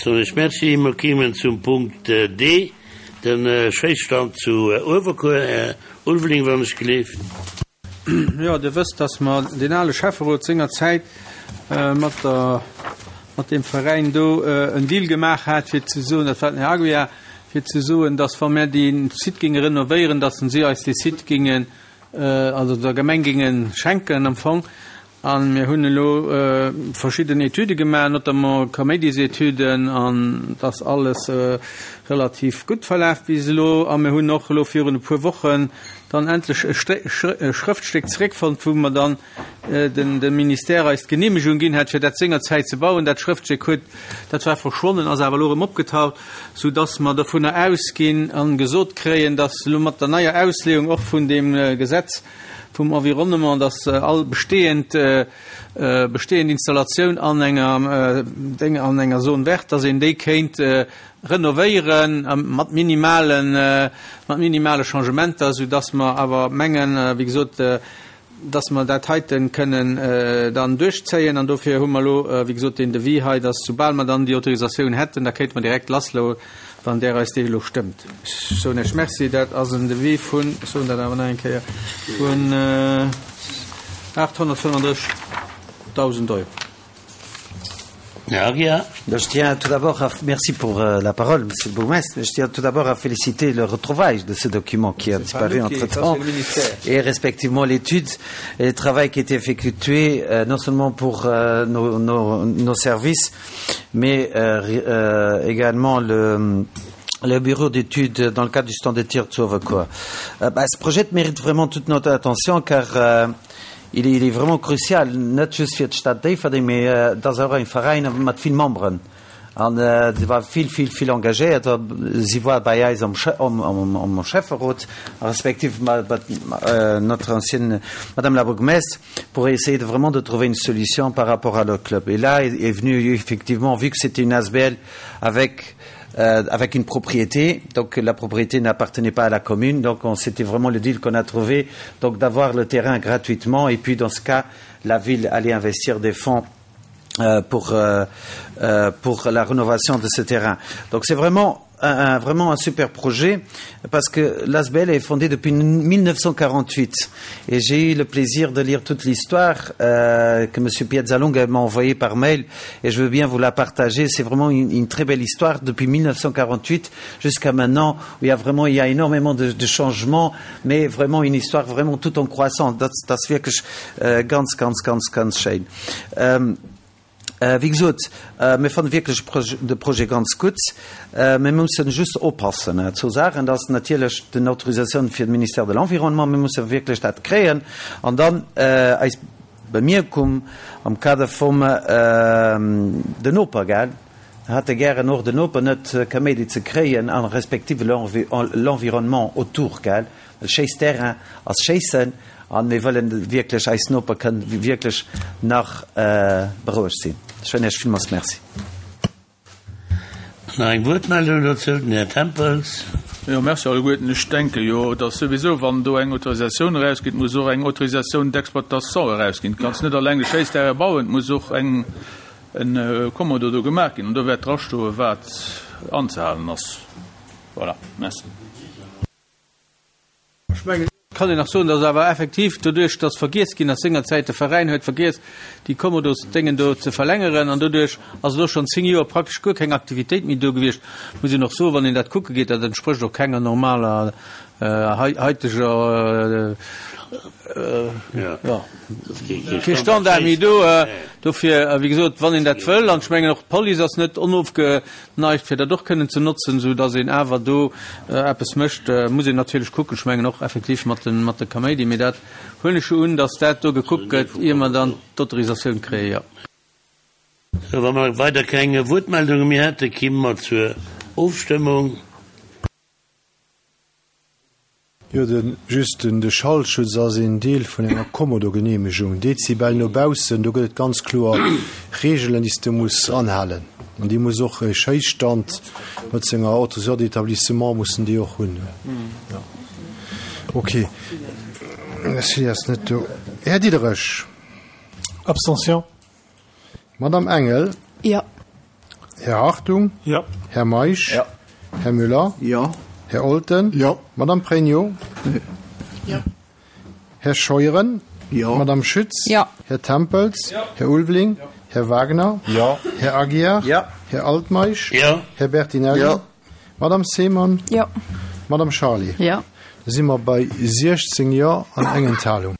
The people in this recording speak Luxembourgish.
Soen ech Merci. Mer kéimen zum Punkt D, de Schéisstand zu Uewerkuer. Här Ulveling, wann ech gleeft. Jo, Dir wësst, dass mer deen ale Schäfferot sengerzäit mat der, mat deem Veräin do en Deal gemaach hat, fir ze soen, dat war den Här Aguiar, fir ze soen, dass wa mir dee Site géinge renovéieren, dass si eis dee Site géingen, also der Gemeng géinge schenken am Fong. A mir hunn elo verschidden Etüde gemaach, notamment Kaméidisetüden, an et ass alles relativ gutt verlaf bis elo. A mir hunn och elo virun e puer Wochen dann endlech e Schrëftstéck zeréckfonnt, wou mer dann de Ministère eis d'Geneemegung ginn hat, fir dat sengerzäit ze bauen. Dat Schrëftstéck huet, dat war verschwonnen, ass awer elo erëm opgetaucht, soudass mer dovunner ausginn a gesot kréien, dass elo mat der neier Ausleeung och vun deem Gesetz, vum Environnement, dass all bestehend, bestehend Installatioun an enger Déng, an enger Zone verte, dass een déi kéint renovéieren mat minimalen, mat minimale Changementer, soudass mer awer mengen, wéi gesot, dass mer dat heiten kënnen dann duerchzéien. An dofir hu mer elo, wéi gesot, deen Devis hei, dass soubal mer dann déi Autorisatioun hätten, da kéinte mer direkt lassloen. Wann Der eis déi elo stëmmt. Ech soen Iech Merci. Dat ass en Devis vun, ech soen dat awer nach eng Kéier, vun 835.000 Euro. Här Aguiar. Je tiens tout d'abord à, merci pour euh, la parole, Monsieur le bourgmestre. Je tiens tout d'abord à féliciter le retrouvaille de ce document qui a disparu entre-temps et respectivement l'étude et le travail qui a été effectué euh, non seulement pour euh, nos, nos, nos services, mais euh, euh, également le le bureau d'études dans le cadre du stand de tir de Sauvecois. Euh, bah, ce projet mérite vraiment toute notre attention car euh, il, est, il est vraiment crucial, net just fir d'Stad Déifferdeng, mee euh, dass och eng Veräin mat vill Memberen. An äh, si war vill, vill, vill engagéiert. Si war bei eis am, am, am, am Schäfferot, respektiv ma, ma, euh, notre ancienne Madame la bourgmestre, pour essayer de vraiment de trouver une solution par rapport à leur club. Et là est, est venu effectivement, vu que c'était une ASBL avec euh, avec une propriété, donc la propriété n'appartenait pas à la commune, donc c'était vraiment le deal qu'on a trouvé, donc d'avoir le terrain gratuitement et puis dans ce cas, la ville allait investir des fonds euh, pour, euh, euh, pour la rénovation de ce terrain. Donc c'est vraiment un, un, vraiment un super projet parce que l'ASBL est fondée depuis 1948 et j'ai eu le plaisir de lire toute l'histoire euh, que M. Piazzalunga m'a envoyée par mail et je veux bien vous la partager. C'est vraiment une, une très belle histoire depuis 1948 jusqu'à maintenant où il y a vraiment il y a énormément de, de changements mais vraiment une histoire vraiment tout en croissant. Das, das wirklich äh, ganz ganz ganz ganz schön. Ähm, Wéi gesot, mir fanne wierklech de Projet ganz gutt. Mir mussen just oppassen zwou Saachen, Dat ass natierlech den Autorisatioun fir de Ministère de l'Environnement. Mir musse wierklech dat kréien. An dann eis Bemierkung am Kader vum den Noper, gell, hätte gären och den Noper net Kaméidi ze kréien a respektive l'environnement autour, gell. Well Schéissterrain ass Schéissen an mir wëllen wierklech, eis Noper kënnen wierklech nach berouegt sinn. Ech soen Iech villmools Merci. Nach eng Wuertmeldung dozou, den Här Tempels. Jo, Merci alleguerten. Ech denke jo, datt souwisou, wann do eng Autorisatioun erausgeet, muss och eng Autorisation d'exploitation erausginn. Du kanns net alleng e Schéissterrain bauen, et muss och eng, e Kommodo do gemaach ginn an do wäert drastoen, wat anzehalen ass. Voilà, merci. Ech mengen, et kann een nach soen, dass awer effektiv doduerch, dass vergiess ginn ass sengerzäit, de Veräin huet vergiess, déi Kommodosdéngen do ze verlängeren, an doduerch ass elo schonn 10 Joer praktesch guer keng Aktivitéit méi do gewiescht, muss een och soen, wann een dat kucke geet, dat entsprécht och kenger normaler haiteger, jo, kee Standard méi do. Dofir, wéi gesot, wann een dat wëll, an ech mengen och d'Police ass net onofge Neigt, fir dat och kënnen ze notzen, esou dass een awer do eppes mécht, muss een natierlech kucken. Ech mengen och effektiv mat de, mat de Kaméidi, mee dat huelen ech jo un, dass dat do gekuckt gëtt, ier mer dann d'Autorisatioun kréien, jo. Sou, wa mer weider keng Wuertmeldunge méi hätten, kimme mer zur Ofstëmmung. Jo, de just den de Schallschutz ass een Deel vun enger Kommodo-Geneemegung. Dezibel no baussen, do gëtt et ganz kloer Reegelen, déi s de muss anhalen. An déi muss och e Schéisstand mat senger Autorisation d'établissement mussen déi och hunn. Jo. Ok. Merci, ass net do. Här Diderich. Abstention. Madame Engel. Jo. Här Hartung. Jo. Här Meisch. Jo. Här Müller. Jo. Här Olten. Jo. Madame Pregno. Jo. Här Scheuren. Jo. Madame Schütz. Jo. Här Tempels. Jo. Här Ulveling. Jo. Här Wagner. Jo. Här Aguiar. Jo. Här Altmeisch. Jo. Här Bertinelli. Jo. Madame Seemann. Jo. Madame Charlé. Jo. Da si mer bei 16 Jo an eng Enthalung.